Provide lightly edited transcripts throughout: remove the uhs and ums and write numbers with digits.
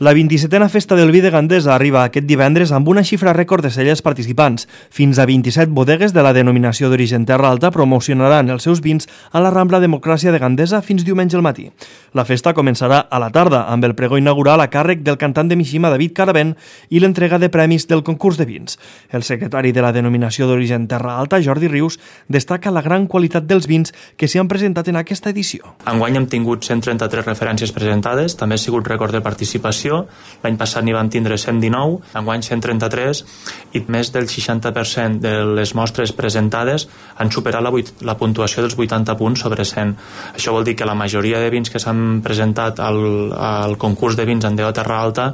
La 27a Festa del Vi de Gandesa arriba aquest divendres amb una xifra rècord de cellers participants. Fins a 27 bodegues de la denominació d'origen Terra Alta promocionaran els seus vins a la Rambla Democràcia de Gandesa fins diumenge al matí. La festa començarà a la tarda amb el pregó inaugural a càrrec del cantant de Mishima David Caravent i l'entrega de premis del concurs de vins. El secretari de la denominació d'origen Terra Alta, Jordi Rius, destaca la gran qualitat dels vins que s'hi han presentat en aquesta edició. Enguany hem tingut 133 referències presentades, també ha sigut rècord de participació. L'any passat n'hi van tindre 119, enguany 133, i més del 60% de les mostres presentades han superat la puntuació dels 80 punts sobre 100. Això vol dir que la majoria de vins que s'han presentat al concurs de vins Andeo Terra Alta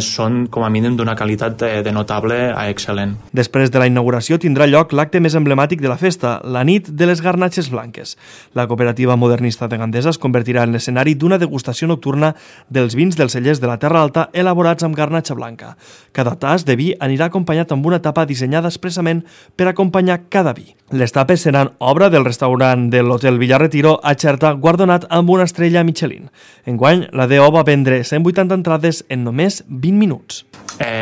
són com a mínim d'una qualitat de notable a excel·lent. Després de la inauguració tindrà lloc l'acte més emblemàtic de la festa, la nit de les garnatxes blanques. La cooperativa modernista de Gandesa es convertirà en l'escenari d'una degustació nocturna dels vins dels cellers de la Terra Alta elaborats amb garnatxa blanca. Cada tas de vi anirà acompanyat amb una tapa dissenyada expressament per acompanyar cada vi. Les tapes seran obra del restaurant de l'Hotel Villarretiro a Xerta, guardonat amb una estrella Michelin. Enguany, la DO va vendre 180 entrades en només 20 minuts.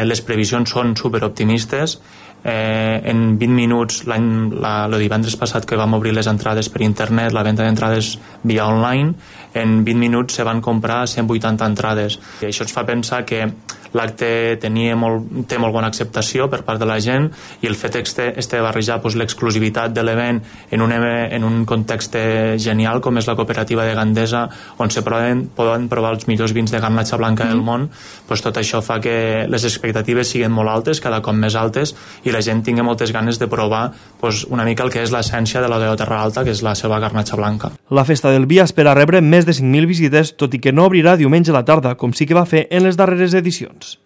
Les previsions són superoptimistes. En 20 minuts, el divendres passat que vam obrir les entrades per internet, la venda d'entrades via online, en 20 minuts se van comprar 180 entrades. I això ens fa pensar que l'acte té molt bona acceptació per part de la gent i el fet de barrejar l'exclusivitat de l'event en un context genial com és la cooperativa de Gandesa, on se poden provar els millors vins de garnatxa blanca del món, tot això fa que les expectatives siguin molt altes, cada cop més altes, i la gent tingui moltes ganes de provar una mica el que és l'essència de la Terra Alta, que és la seva garnatxa blanca. La Festa del Vi espera rebre més de 5.000 visites, tot i que no obrirà diumenge a la tarda, com sí que va fer en les darreres edicions.